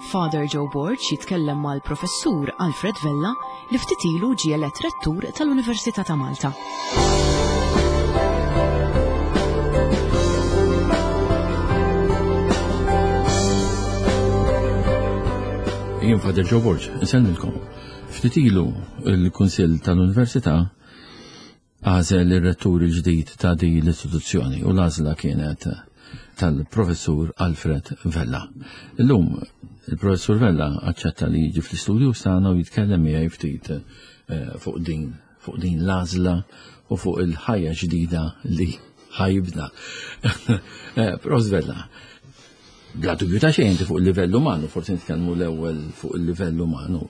Father Joe Borg jitkellem mal-Professur Alfred Vella li ftit ilu ġie elett Rettur tal-Università ta' Malta. Jien Father Joe Borg, insellmilkom. Ftit ilu il-Kunsill tal-Università għażel ir-rettur il-ġdid ta' din l-istituzzjoni u l-għażla kienet tal-professur Alfred Vella. Illum il-professur Vella aċċetta li jiġi fl-istudju tagħna u jitkellem miegħi ftit eh, fuq din fuq din l-għażla u fuq il-ħajja ġdida li ħajibna. Eh, Prof Vella, bla dubju ta' xejn fuq il-livell umanu, forsi nitkellmu l-ewwel fuq il-livell umanu.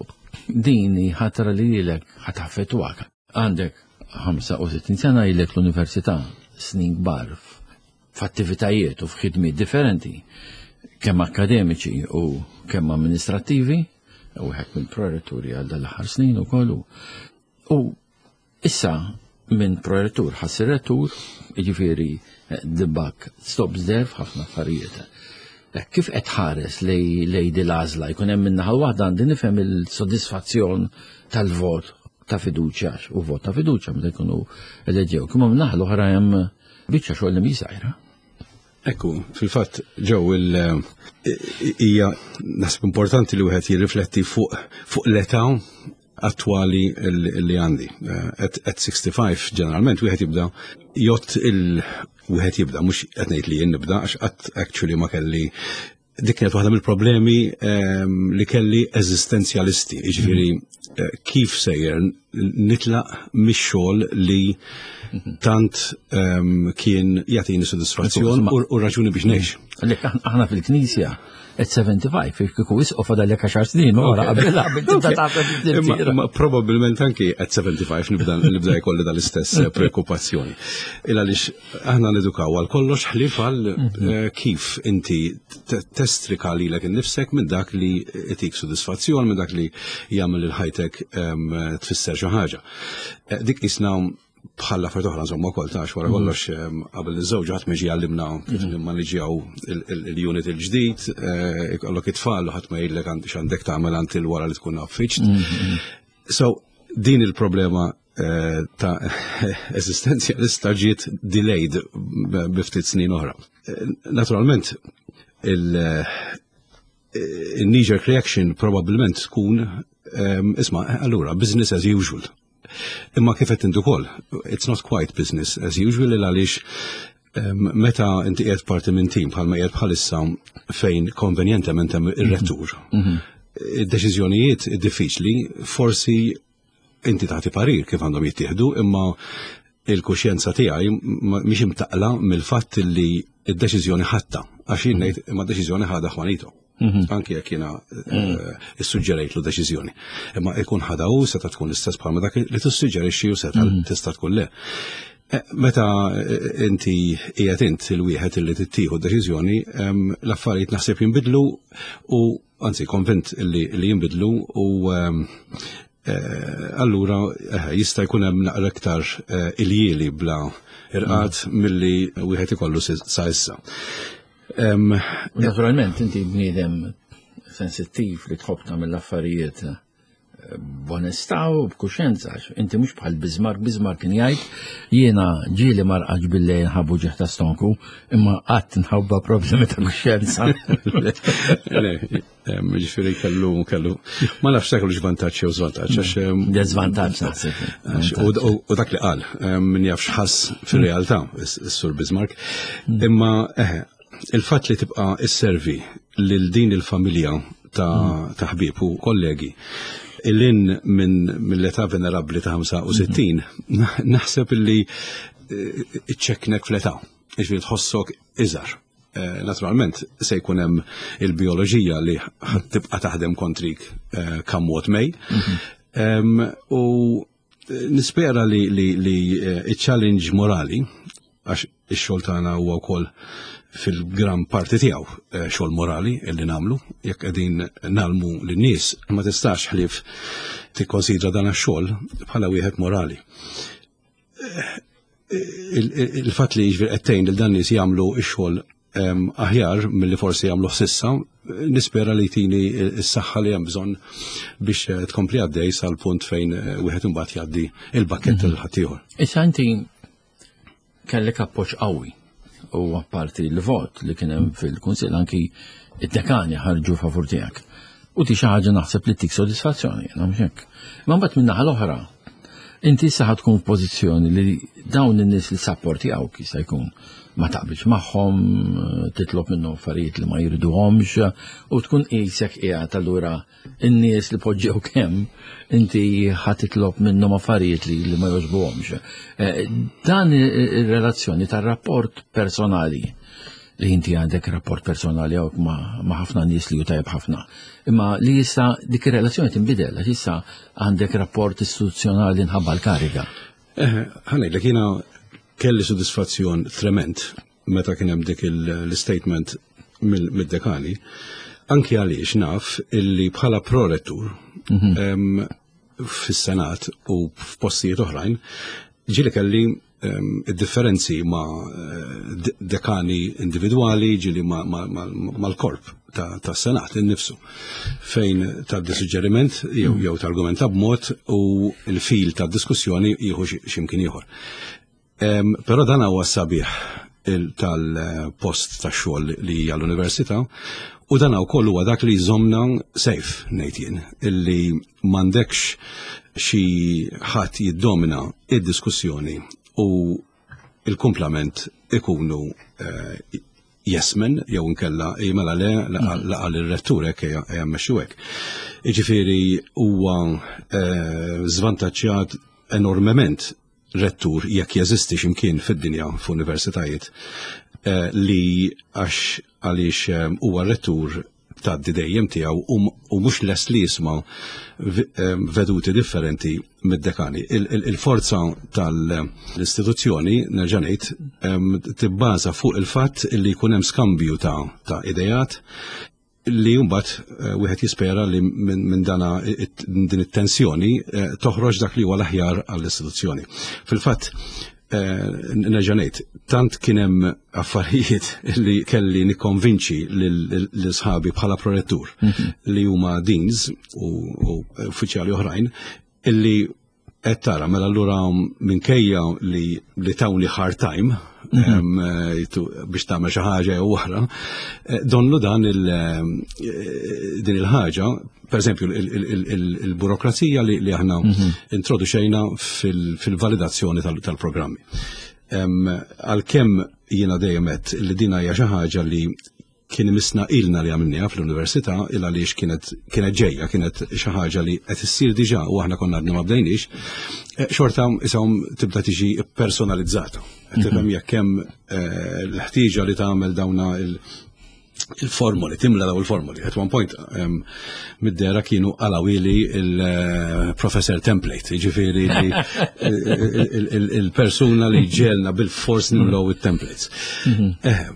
Din ħatra li lilek ħataffettwak. Għandek 65 sena ilek l-università snin kbar f'attivitajiet u f'ħidmiet differenti, kemm akademiċi u kemm amministrattivi, u wieħed mill-proretturi għal dal-aħħar snin ukoll. U issa minn prorettur ħassir rettur, jiġifieri the buck stops there f'ħafna affarijiet. Kif qed tħares lej di l-għażla jkun hemm min-naħa waħda għandi nifhem il-sodisfazzjon tal-vot ta' fiduċja u vot ta' fiduċja meta jkunu eleġew. Imma min-naħa l-oħra hemm biċċa xogħol li mhi żgħira. Ekku, fil-fatt ġew il hija naħseb importanti li wieħed jirrifletti fuq fuq l-età attwali li għandi. Eh, at 65 ġeneralment wieħed jibda jott il wieħed jibda mhux qed ngħid li jien nibda għax qatt actually ma kelli dik kienet waħda mill-problemi ehm, li kelli eżistenzjalisti, jiġifieri eh, kif sejjer nitlaq mix-xogħol li mhm. tant ehm, kien jagħtini sodisfazzjon u raġuni biex ngħix. Aħna fil-Knisja at 75, kieku isqof għadha għaxar snin, wara qabel qabel tibda tagħmel Ma probabbilment anki at 75 nibda nibda jkolli dal-istess eh, preokkupazzjoni. Il għaliex aħna nedukaw għal kollox ħlief għal mhm. eh, kif inti testrika lilek innifsek minn dak li itik sodisfazzjon, minn dak li jagħmel il-ħajtek ehm, tfisser xi ħaġa. Eh, dik isna bħal affarijiet oħra insomma wkoll tax wara mhm. kollox ehm, qabel iż-żewġ ħadd miġi għallimna kif mhm. nimmaniġjaw il-unit il-ġdid, eh, ikollok it-tfal u ħadd ma jgħidlek x'għandek tagħmel għand il-wara li tkun affiċt. Mhm. So din il-problema eh, ta' eżistenzjalista ġiet delayed bi ftit snin oħra. Eh, naturalment, il- knee-jerk reaction probabbilment tkun ehm, isma' allura business as usual. Imma kif qed intu ukoll, it's not quite business as usual il għaliex ehm, meta inti qiegħed parti minn tim bħalma qiegħed bħalissa fejn konvenjentement hemm ir-rettur. Mhm. Id-deċiżjonijiet diffiċli forsi inti tagħti parir kif għandhom jittieħdu, imma il-kuxjenza tiegħi mhix imtaqla mill-fatt li d-deċiżjoni ħatta, għax jien ngħid imma d-deċiżjoni ħadha Juanito. Mhm. Anki jekk jiena mhm. eh, issuġġerejtlu deċiżjoni. Imma ikun ħadha hu seta' tkun l-istess bħalma dak li tissuġġerixxi u seta' mhm. tista' tkun le. Eh, meta eh, inti qiegħed int il-wieħed li tittieħu deċiżjoni, l-affarijiet naħseb jinbidlu u anzi konvint li jinbidlu u allura jista' jkun hemm naqra iktar iljieli bla irqad milli wieħed ikollu sa issa. Naturalment, inti bniedem sensittiv li tħobb tagħmel l-affarijiet eh, b'onestà u b'kuxjenza. Inti mhux bħal Bismarck, Bismarck kien jgħid jiena ġieli marqaġ billejl nħabbu ġieħ ta' stonku, imma qatt nħabba problemi ta' kuxjenza. Ġifieri kellu kellu. Ma nafx se kellu vantaġġ jew żvantaġġ għax Deżvantaġġ naħseb. U dak li qal min jaf x'ħass fir-realtà is-Sur Bismarck. Mm. Imma eħe, il-fatt li tibqa' isservi lil din il-familja ta' mm. ħbieb u kollegi il-in minn l-età venerabbli ta' 65 mm. naħseb illi eh, iċċeknek fl-età, ġifieri tħossok iżgħar. Eh, naturalment se jkun hemm il-bioloġija li tibqa' taħdem kontrik eh, come what may. Mhm. U nispera li li eh, il-challenge morali għax ix-xogħol tagħna huwa wkoll fil-gran parti tiegħu xogħol morali illi nagħmlu, jekk qegħdin nalmu lin-nies ma tistax ħlief tikkonsidra dan ix-xogħol bħala wieħed morali il-fatt li jiġifieri qed tgħin lil dan nies jagħmlu x-xogħol aħjar milli forsi għamluh s'issa, nispera li jtini s-saħħa li hemm bżonn biex eh, tkompli għaddej sal-punt fejn eh, wieħed imbagħad jgħaddi il-bakkett lil ħaddieħor. Issa inti kellek appoġġ qawwi u apparti l-vot li kien hemm fil-Kunsill anki id-dekani ħarġu favur tiegħek. U di xi ħaġa naħseb li tik sodisfazzjoni, jiena mhux hekk. Ma mbagħad min-naħa l-oħra, inti issa ħad tkun f'pożizzjoni li dawn in-nies li sapportjawk jista' jkun ma taqbilx magħhom, titlob minnhom affarijiet li ma jriduhomx u tkun qisek qiegħed allura in-nies li poġġew kemm inti ħa titlob minnhom affarijiet li, li ma jogħġbuhomx. Eh, dan ir-relazzjoni tar-rapport personali li inti għandek rapport personali għawk ma' ħafna nies li tajjeb ħafna. Imma li jissa dik ir-relazzjoni tinbidel, għax issa għandek rapport istituzzjonali nħabba l-kariga. Eh, ħanejlek jiena kelli sodisfazzjon trement meta kien hemm dik l-statement mid-dekani, anki għaliex naf illi bħala prorettur mhm. fis-Senat u f'postijiet oħrajn, ġieli kelli id-differenzi ma' eh, dekani individwali, ġieli mal-korp ta' Senat innifsu, fejn ta' suġġeriment jew mm. jew targumenta b'mod u l-fil ta' diskussjoni jieħu x'imkien ieħor. Però dan huwa sabiħ tal-post tax-xogħol li hija l-università u dan wkoll huwa dak li jżommna safe ngħid jien illi m'għandekx xi ħadd jiddomina id-diskussjoni u il-kumplament ikunu eh, jesmen jew inkella mela le laqa l-rettur hekk ejja mmexxu hekk. Jiġifieri huwa eh, żvantaġġjat enormement rettur jekk jeżisti x'imkien fid-dinja f'universitajiet eh, li għax għaliex eh, huwa rettur tgħaddi dejjem tiegħu u mhux lest li jisma' eh, veduti differenti mid-dekani. Il-forza tal-istituzzjoni, nerġa' ngħid, tibbaża fuq il-fatt li jkun hemm skambju ta' idejat li mbagħad eh, wieħed jispera li minn dana din it-tensjoni eh, toħroġ dak li huwa l-aħjar għall-istituzzjoni. Fil-fatt, eh, nerġa' ngħid, tant kien hemm affarijiet li kelli nikkonvinċi lil sħabi bħala prorettur mhm. li huma deans u uffiċjali oħrajn illi Qed tara, mela allura minkejja li li tawni hard time mhm. eh, biex tagħmel xi ħaġa jew oħra, eh, donnu dan il eh, din il-ħaġa, per eżempju il-burokrazija li aħna mhm. introduċejna fil-validazzjoni tal-programmi. Għalkemm jiena dejjem għedt li din hija xi ħaġa li kien imissna ilna li għamilniha fl-università il għaliex kienet kienet ġejja, kienet xi ħaġa li qed issir diġà u aħna konna għadna ma bdejniex, eh, xorta ishom tibda tiġi personalizzata. Qed tifhem mhm. jekk hemm eh, l-ħtieġa li tagħmel dawna il- il-formoli, timla daw il-formoli. At one point, um, mid-dera kienu għalawili il-professor template, ġifiri li il-persuna li ġelna bil-fors nimlow il-templates. Mhm. Eh,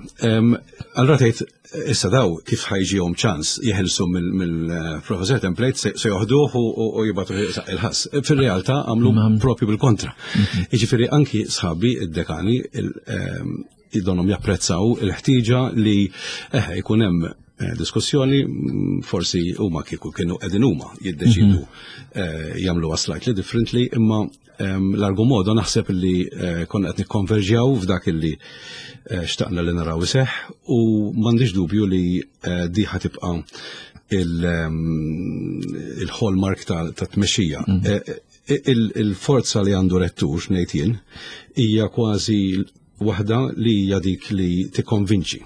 Allura tgħid issa daw kif ħajġihom ċans jeħilsu mill-professor template se joħduh u jibgħatu il-ħass. Fir-realtà għamlu propju bil-kontra. Mhm. Jiġifieri anki sħabi id-dekani idonhom japprezzaw il-ħtieġa li eh, jkun hemm eh, diskussjoni mm, forsi huma kieku kienu qegħdin huma jiddeċidu mhm. eh, jagħmluha slightly differently imma Largo modo naħseb li eh, konna qed nikkonverġjaw f'dak illi eh, xtaqna li naraw iseħħ u m'għandix dubju li eh, di ħatibqa' il-hallmark ta' tmexxija. Mhm. Il-forza li għandu rettur ngħid jien hija kważi waħda li hija dik li tikkonvinċi.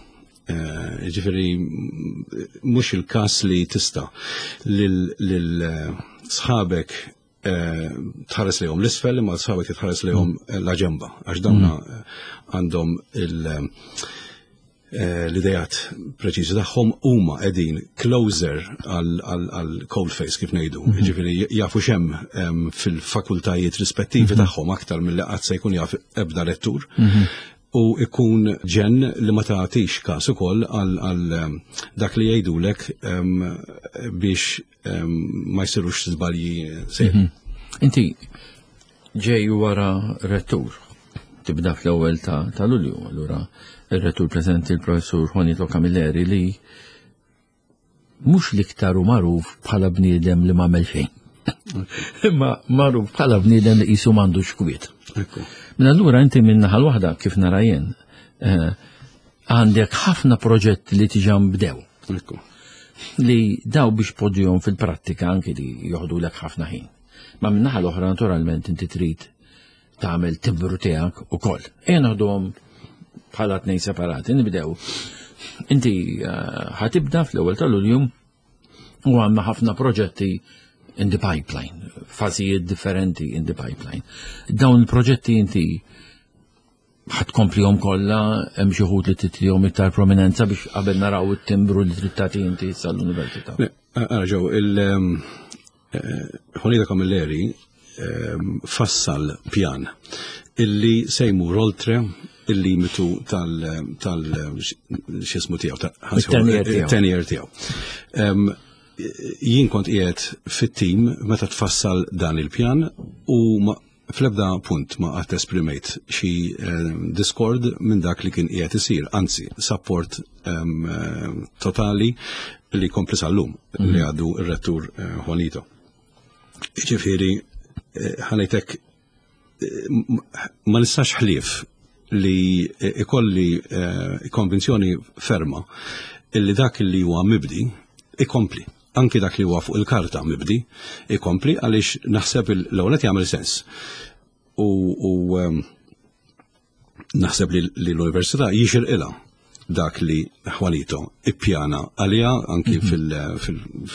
Ġifieri mhux il-każ li tista' lil sħabek Eh, tħares lejhom l-isfel imma sħabek tħares lejhom mm. la ġemba għax dawna mm. eh, għandhom eh, l-idejat preċiżi tagħhom huma qegħdin closer għal cold face kif ngħidu. Mm-hmm. Jiġifieri jafu x'hemm fil-fakultajiet rispettivi mm-hmm. tagħhom aktar milli qatt se jkun jaf ebda lettur. Mm-hmm. U ikun ġen li ma tagħtix każ ukoll għal dak li jgħidulek biex ma jsirux żbalji seri. Mhm. Inti ġej wara rettur. Tibda fl-ewwel ta', ta Lulju, allura ir-rettur preżenti l-professur Juanito Camilleri li mhux l-iktar hu magħruf bħala bniedem li m'għamel xejn. Imma magħruf bħala bniedem li qisu m'għandux kwiet. Minn allura inti minn naħa waħda kif nara jien, eh, għandek ħafna proġetti li tiġa nbdew. Li daw biex podjom fil-prattika anki li joħdu lek ħafna ħin. Ma minn naħa l-oħra naturalment inti trid tagħmel timbru tiegħek ukoll. Ejja naħduhom bħala tnejn separati, nibdew. Inti eh, ħatibda fl-ewwel ta' Lulju u għandna ħafna proġetti in the pipeline, fażijiet differenti in the pipeline. Dawn il-proġetti inti ħatkomplihom kollha hemm xi wħud li titrihom iktar prominenza biex qabel naraw it-timbru li trid tagħti inti sal-università. Ara ġew il ehm, eh, Juanita Camilleri ehm, fassal pjan illi se jmur oltre il-limitu tal tal xismu tiegħu tal-tenjer tiegħu. Ehm, jien kont qiegħed fit-tim meta tfassal dan il-pjan u Fl-ebda punt ma qatt esprimejt xi diskord minn dak li kien qiegħed isir, anzi sapport totali li jkompli sal-lum li għadu r-rettur Juanito. Jiġifieri ħanejtek ma nistax ħlief li ikolli konvinzjoni ferma illi dak li huwa mibdi ikompli. Anki dak li huwa fuq il-karta mibdi ikompli għaliex naħseb l-ewwel qed jagħmel sens. U, u ehm, naħseb li l-università jixirqilha dak li Juanito ippjana għaliha anki mhm.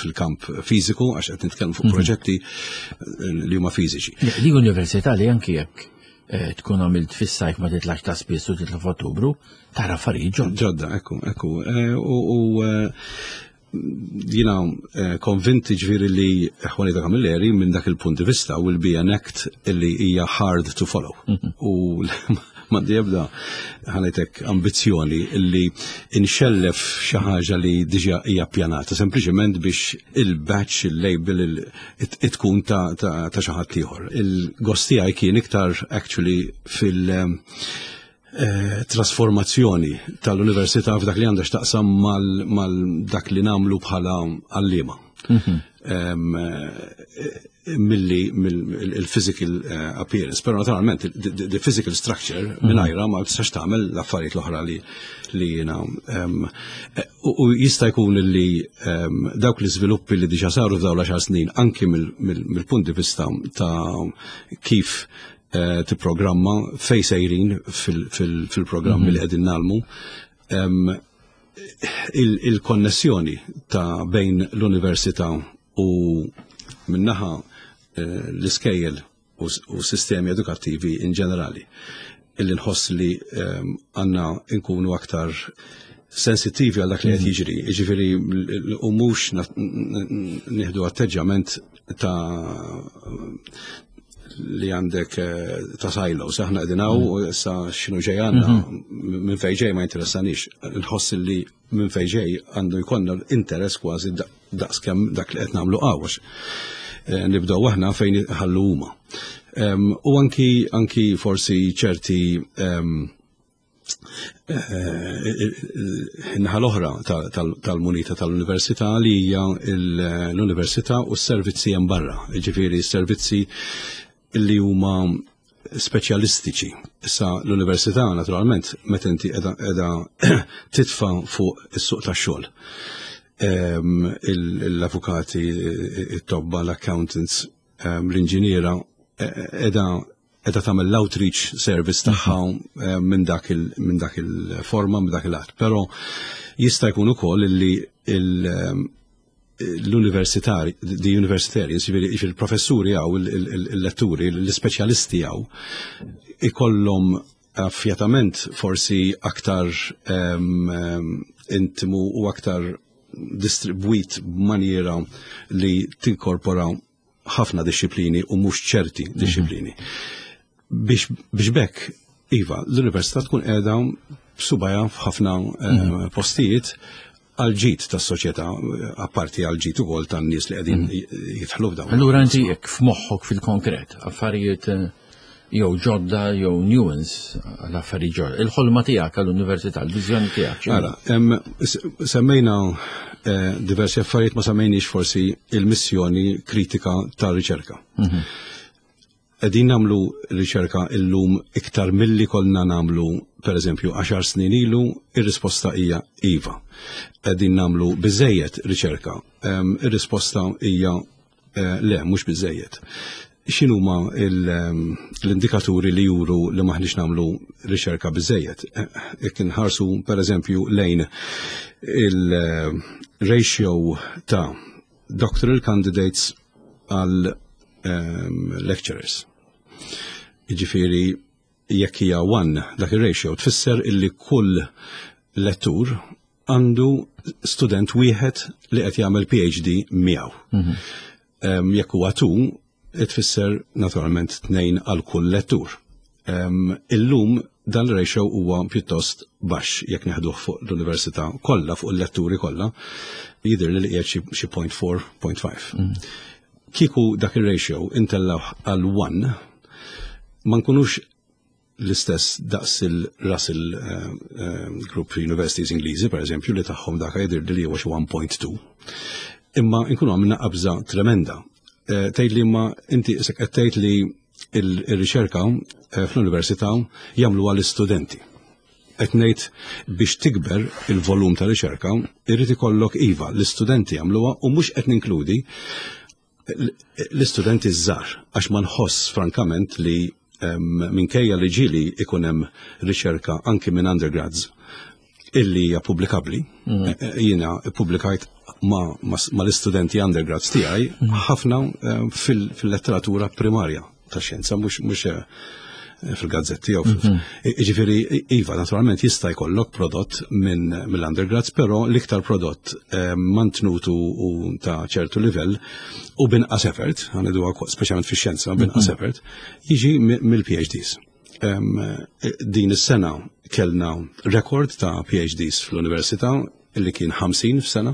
fil-kamp fiżiku għax qed nitkellmu fuq mhm. proġetti eh, li huma fiżiċi. Li università li anki jekk eh, tkun għamilt fis-sajf ma titlax ta' spiss u titla' f'Ottubru, tara affarijiet ġodda. Ġodda, ekku, ekku. Eh, u jina eh, konvinti ġviri li Juanita Camilleri minn dak il-punt di vista will be an act li hija hard to follow. Mhm. U m'għandi ebda ħanajtek ambizzjoni li inxellef xi ħaġa li diġà hija ppjanata, sempliċement biex il-batch, il-label, tkun ta' xi ħadd ieħor. Il-gost tiegħi kien iktar actually fil- Eh, trasformazzjoni tal-università f'dak li għandha x'taqsam mal dak li nagħmlu bħala għalliema. Mhm. Eh, milli il-physical eh, appearance, però naturalment the physical structure mhm. mingħajra ma tistax tagħmel l-affarijiet l-oħra li li jiena u jista' jkun li dawk l-iżviluppi li diġà saru f'dawn l-għaxar snin anki mill-punt di vista ta' kif Eh, tipprogramma fej sejrin fil-programmi mhm. li qegħdin nagħmlu. Il-konnessjoni ta' bejn l-università u minnaħa eh, l-iskejjel u sistemi edukattivi in ġenerali illi nħoss li għanna nkunu aktar sensittivi għal dak li qed mhm. jiġri, jiġifieri u mhux nieħdu atteġġjament ta' li għandek eh, ta' silos, aħna qegħdin hawn u issa x'inhu ġej għandna mhm. minn fejn ġej ma jinteressanix. Nħoss li minn fejn ġej għandu jkollna interess kważi daqs kemm dak li qed nagħmlu għax. Eh, nibdew aħna fejn ħallu huma. U anki anki forsi ċerti Naħa l-oħra tal-munita tal-università li hija l-università u s-servizzi hemm barra, jiġifieri s-servizzi li huma speċjalistiċi. Issa l-università naturalment meta inti qiegħda titfa' fuq is-suq tax-xogħol. Ehm, l-avukati, it-tobba, l-accountants, ehm, l-inġiniera qiegħda qiegħda tagħmel l-outreach service tagħha eh, minn dak il-forma, minn dak il-att. Però jista' jkun ukoll li eh, l-universitari, the universitarians, jiġifieri il-professuri għaw, il-letturi, l-speċjalisti għaw, ikollhom affjatament forsi aktar ehm, ehm, intimu u aktar distribwit b'maniera li tinkorpora ħafna disċiplini u mhux ċerti mhm. disċiplini. Biex, biex bekk, iva, l-università tkun qiegħda b'subajha f'ħafna eh, mhm. postijiet għal ġid tas-soċjetà, apparti għal ġid ukoll tan-nies li qegħdin mhm. jidħlu f'dawn. Allura inti jekk f'moħħok fil-konkret, affarijiet eh, Jew ġodda jew nuance għal affarijiet ġodda. Il-ħolma tiegħek għall-università, il-viżjoni tiegħek. Ara, semmejna diversi affarijiet, ma semmejniex forsi il-missjoni kritika tar-riċerka. Qegħdin nagħmlu riċerka illum iktar milli konna nagħmlu, per eżempju, 10 snin ilu? Ir-risposta hija iva. Qegħdin nagħmlu biżejjed riċerka? Ir-risposta hija le, mhux biżejjed. X'inhuma l-indikaturi li juru li maħniex nagħmlu riċerka biżejjed? Jekk inħarsu, per eżempju, lejn il-ratio ta' doctoral candidates għal lecturers. Jiġifieri jekk hija 1 dak ir-ratio, tfisser illi kull lettur għandu student wieħed li qed jagħmel PhD miegħu. Jekk huwa 2, tfisser naturalment 2 għal kull lettur. Illum dan il-ratio huwa pjuttost baxx jekk neħduh fuq l-università kollha, fuq il-letturi kollha, jidher li qiegħed xi 0.4, 0.5. Kieku dak ir-ratio intellaw għal 1, ma nkunux l-istess daqs il-Russell Group Universities Ingliżi, per eżempju, li tagħhom dak jidher li huwa xi 1.2. Imma nkunu għamilna qabża tremenda. Tgħid li ma inti isek qed tgħid li il-riċerka fl-università jagħmluha l-istudenti. Qed ngħid biex tikber il-volum ta' riċerka, irrid ikollok iva l-istudenti jagħmluha, u mhux qed ninkludi l-istudenti żgħar, għax ma nħoss frankament li minkejja li ġieli ikun hemm riċerka anki minn undergrads illi hija pubblikabbli. Jiena ppubblikajt ma l-istudenti undergrads tiegħi ħafna fil-letteratura primarja ta' xjenza, mhux fil-gazzetti jew Ġifieri, iva, naturalment jista' jkollok prodott minn mill-undergrads, però l-iktar prodott mantnutu u ta' ċertu livell u binqas effort, ħa ngħidu speċjalment fix-xjenza, binqas effort, jiġi mill-PhDs. Din is-sena kellna rekord ta' PhDs fl-università illi kien 50 f'sena.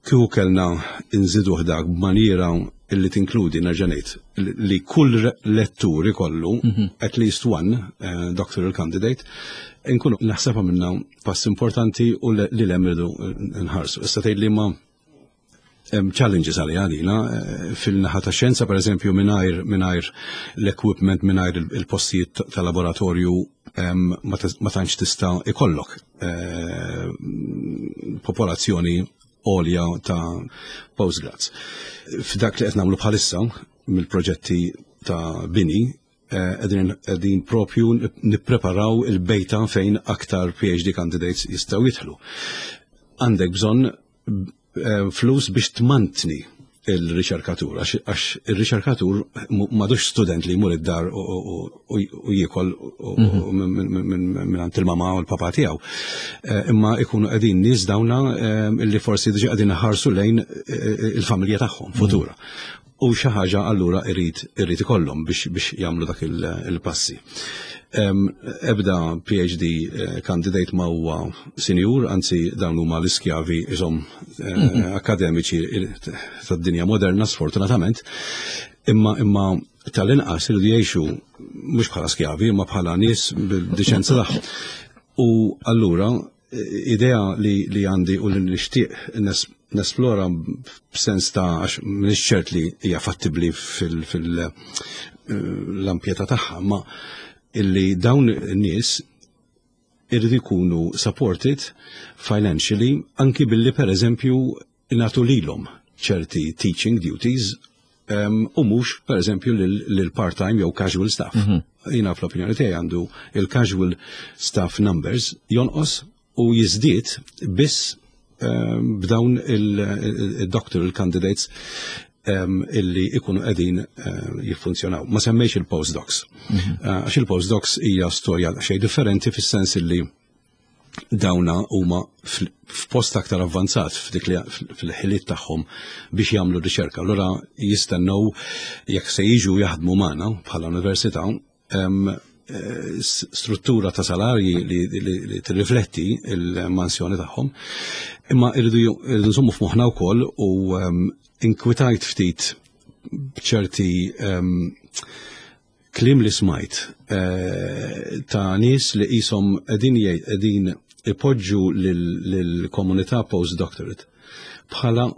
Kieku kellna nżidu dak b'maniera illi tinkludi, nerġa' ngħid, li kull lettur ikollu at least one doctoral candidate, inkunu naħseb minna pass importanti u li l irridu nħarsu. Issa tgħid li ma hemm challenges għalina fil-naħa ta' xjenza, per eżempju, mingħajr l-equipment, mingħajr il-postijiet ta' laboratorju, ma tantx tista' ikollok popolazzjoni għolja ta' postgrads. F'dak li qed nagħmlu bħalissa mill-proġetti ta' bini, qegħdin propju nippreparaw il-bejta fejn aktar PhD candidates jistgħu jidħlu. Għandek bżonn flus biex tmantni il-riċerkatur, għax il-riċerkatur m'għadux student li jmur id-dar u jiekol minn għand il-mama u l-papa tiegħu. Imma ikunu qegħdin nies dawna illi forsi diġà qegħdin ħarsu lejn il-familja tagħhom futura. U xi ħaġa allura irid ikollhom biex jagħmlu dak il-passi. Ebda PhD candidate ma huwa sinjur, anzi dawn huma l-iskjavi isom akademiċi tad-dinja moderna, sfortunatament, imma tal-inqas iridu jgħixu mhux bħala skjavi imma bħala nies bil-diċenza tagħhom. U allura idea li għandi u li nixtieq nesplora b'sens ta' għax m'iniex ċert li hija fattibbli fil-ampjetà tagħha, ma illi dawn in-nies irridu jkunu supported financially anki billi, per eżempju, nagħtu lilhom ċerti teaching duties u mhux, per eżempju, lil part-time jew casual staff. Jiena fl-opinjoni tiegħi għandu il-casual staff numbers jonqos u jiżdied biss b'dawn il-doctoral candidates illi ikunu qegħdin jiffunzjonaw. Ma semmejx il-postdocs. Għax il-postdocs hija storja xejn differenti fis-sens illi dawna huma f'post aktar avvanzat f'dik li fil-ħiliet tagħhom biex jagħmlu riċerka. Allura jistennew jekk se jiġu jaħdmu magħna bħala università struttura ta' salarji li tirrifletti il-mansjoni tagħhom. Imma irridu nżommu f'moħħna wkoll u inkwitajt ftit b'ċerti Kliem li smajt eh, ta' nies li qishom qegħdin qegħdin ipoġġu lill-komunità postdoctorate bħala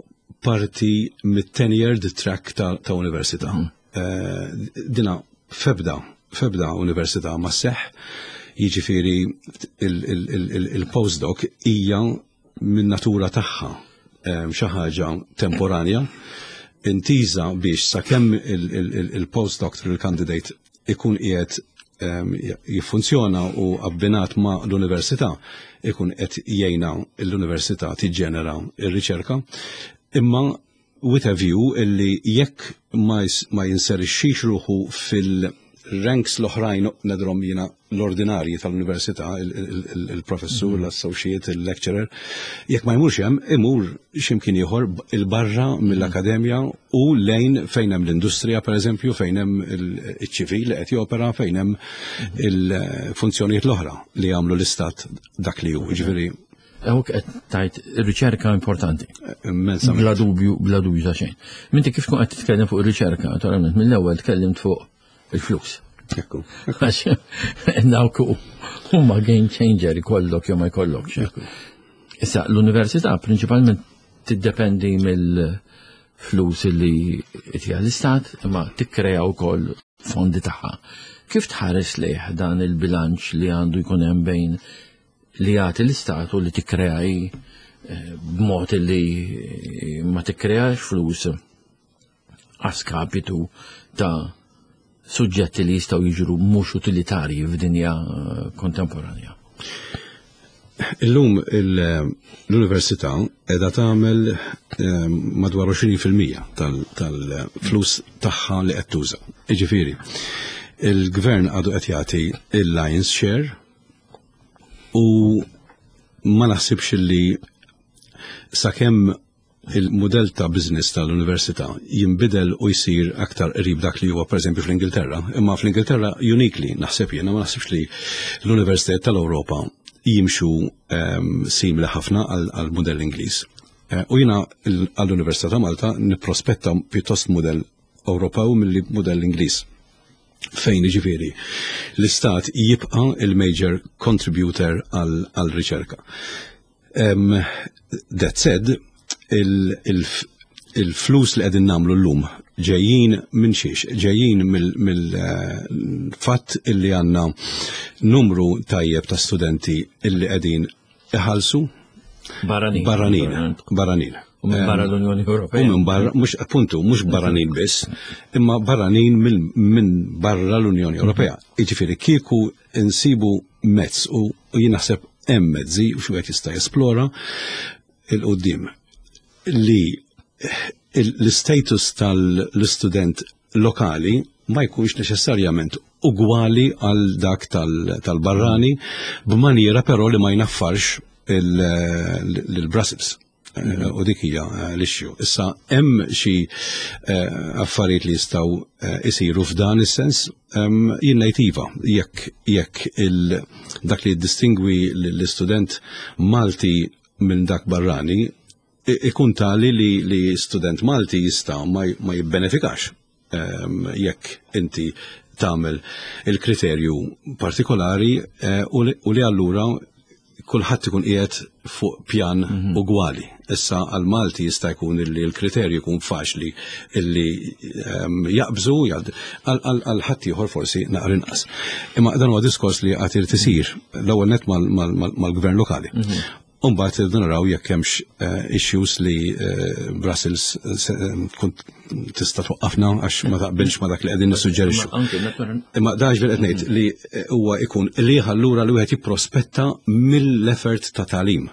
parti mit-tenured track ta', ta università. Mm. Eh, dina febda, febda università ma seħ, jiġifieri il-postdoc hija minn natura tagħha eh, xi ħaġa temporanja intiża biex sakemm il-postdoctoral candidate ikun qiegħed ehm, jiffunzjona u abbinat ma' l-università ikun qed jgħinha l-università tiġġenera r-riċerka, imma with a view illi jekk ma jinserixxix ruħu fil-ranks l-oħrajn nedrom jiena l-ordinarji tal-università, il-professur, mhm. l-associate, il-lecturer, jekk ma jmurx hemm, imur x'imkien ieħor il-barra mill-akademja u lejn fejn hemm l-industrija pereżempju, fejn hemm iċ-ċivil li qed jopera, fejn hemm mhm. il-funzjonijiet l-oħra li jagħmlu l-istat dak li hu. Ġifieri Għawk qed tajt riċerka importanti. Immensament. Bla dubju, bla dubju ta' xejn. Minti kif tkun qed titkellem fuq ir-riċerka, naturalment mill-ewwel tkellimt fuq il-flus. Ekku. Għax dawk huma game changer ikollok jew ma jkollokx. Issa l-università prinċipalment tiddependi mill-flus li tija l-istat, imma tikkrea wkoll fondi tagħha. Kif tħares lejh dan il-bilanċ li għandu jkun hemm bejn li jagħti l-istat u li tikkrea hi eh, b'mod li ma tikkreax flus għaskapitu ta' suġġetti li jistgħu jiġru mhux utilitarji f'dinja eh, kontemporanja. Illum l-università qiegħda tagħmel eh, madwar 20% tal-flus tagħha li qed tuża. Jiġifieri, il-gvern għadu qed jagħti il-lion's share U ma naħsibx li sakemm il-modell ta' business tal-università jinbidel u jsir aktar qrib dak li huwa pereżempju fl-Ingilterra, imma fl-Ingilterra uniquely naħseb jiena ma naħsibx li l-universitajiet tal-Ewropa jimxu um, simili ħafna għal-modell Ingliż. Eh, u jiena għall-Università ta' Malta nipprospetta pjuttost modell Ewropew milli modell Ingliż fejn ġifieri l-istat jibqa' il-major contributor għal-riċerka. Um, that said, il-flus li qegħdin nagħmlu llum ġejjin minn xiex, ġejjin mill-fatt illi għandna numru tajjeb ta' studenti illi qegħdin iħallsu barranin. Barranin. Barranin. U minn barra l-Unjoni Ewropea. U minn barra, mhux appuntu, mhux barranin biss, imma barranin minn barra l-Unjoni Ewropea. Jiġifieri kieku insibu mezz u jien naħseb hemm mezzi u xi wieħed jista' jesplora il-qudiem li l-status tal-istudent lokali ma jkunx neċessarjament ugwali għal dak tal-barrani b'maniera però li ma jnaffarx il-Brussels. Eh, u dik hija eh, l-issue. Issa hemm xi eh, affarijiet li jistgħu isiru f'dan is-sens jien ngħid iva jekk jekk dak li jiddistingwi l-istudent Malti minn dak barrani ikun tali li, li student Malti jista' ma, ma jibbenefikax um, jekk inti tagħmel il-kriterju partikolari eh, u li allura kulħadd ikun qiegħed fuq pjan mm -hmm. ugwali. Issa għal Malti jista' jkun illi l-kriterju jkun faċli illi um, jaqbżu għal ħadd ieħor forsi naqra inqas. Imma dan huwa diskors li qed irid isir l-ewwel net mal-gvern lokali. Mm -hmm. Umbagħad irridu naraw jekk hemmx eh, issues li eh, Brussels eh, tkun tista' twaqqafna għax ma taqbilx ma dak li qegħdin nissuġġerixxu. Imma da ġifier qed ngħid li huwa jkun li allura li wieħed jipprospetta mill-effort ta' tagħlim.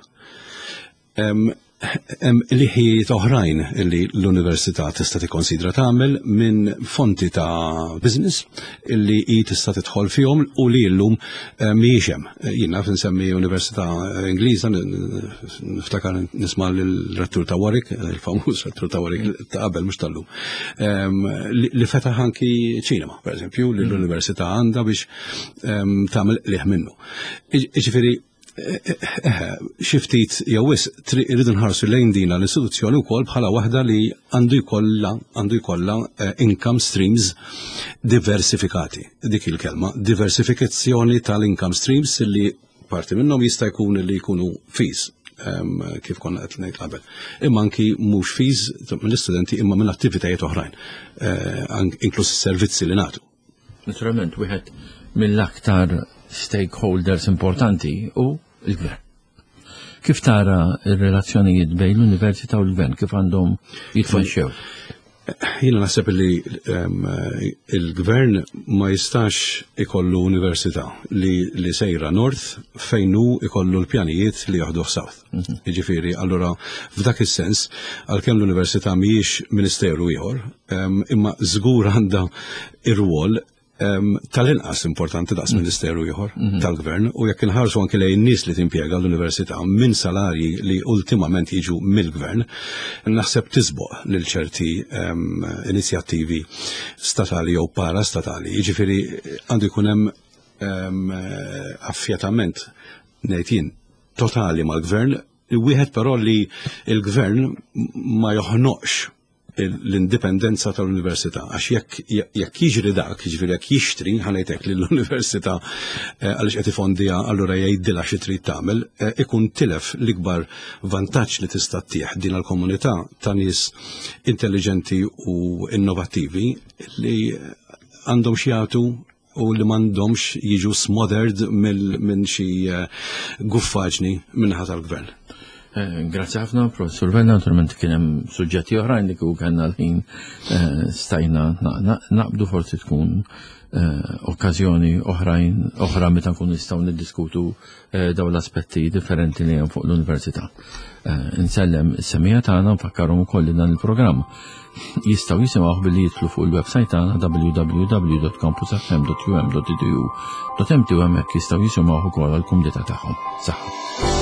Hemm liħijiet oħrajn li l-università tista' tikkonsidra tagħmel minn fonti ta' business illi hi tista' tidħol fihom u li llum eh, mhijiex hemm. Jien naf insemmi Università Ingliża, niftakar nisma' l-rettur ta' Warwick, il-famuż rettur ta' Warwick ta' qabel mhux tal-lum, ehm, li fetaħ anki ċinema, pereżempju, li l-università għandha biex ehm, tagħmel qliħ minnu. Jiġifieri Eh, xi ftit jew wisq irridu nħarsu lejn dina l-istituzzjoni wkoll bħala waħda li għandu jkollha għandu jkollha eh, income streams diversifikati. Dik il-kelma, diversifikazzjoni tal-income streams li parti minnhom jista' jkun li jkunu fees kif konna qed ngħid qabel. Imma anki mhux fees mill-istudenti imma minn attivitajiet oħrajn, eh, inkluż is-servizzi li nagħtu. Naturalment, wieħed mill-aktar stakeholders importanti hu l-gvern. Kif tara r-relazzjonijiet bejn l-università u l-gvern, kif għandhom jitmexxew? Jiena naħseb li il-gvern ma jistax ikollu università li, li sejra north fejn hu ikollu l-pjanijiet li jaħduh south. Mhm. Jiġifieri, allura f'dak is-sens, għalkemm l-università mhijiex ministeru ieħor, imma żgur għandha ir-rwol tal-inqas importanti daqs mm. ministeru ieħor mm-hmm. tal-gvern u jekk inħarsu anke lejn nies li timpjega l-università minn salarji li ultimament jiġu mill-gvern, naħseb tisboq lil ċerti inizjattivi statali jew parastatali. Jiġifieri għandu jkun hemm affjatament ngħid jien totali mal-gvern, wieħed però li l-gvern ma joħnoqx l-indipendenza tal-università, għax jekk jekk jiġri dak, jiġifieri jekk jixtri, ħanejtek lill-università eh, għaliex qed ifondija allura jgħidilha xi trid tagħmel, eh, ikun tilef l-ikbar vantaġġ li tista' ttieħ din l-komunità ta' nies intelligenti u innovattivi li għandhom xi jagħtu u li m'għandhomx jiġu smothered minn xi eh, guffaġni minnaħa tal-gvern. Eh, grazzi ħafna, Professor Vella, naturalment kien hemm suġġetti oħrajn li kieku kellna l-ħin eh, stajna naqbdu forsi tkun okkażjoni oħrajn oħra meta nkun nistgħu niddiskutu dawn l-aspetti differenti li hemm fuq l-università. Eh, insellem is-semija tagħna nfakkarhom ukoll li dan il-programm jistgħu jisimgħuh billi jidħlu fuq il-website tagħna www.campusfm.um.edu.mt u hemmhekk jistgħu jisimgħuh ukoll għall-kumdità tagħhom. Saħħa.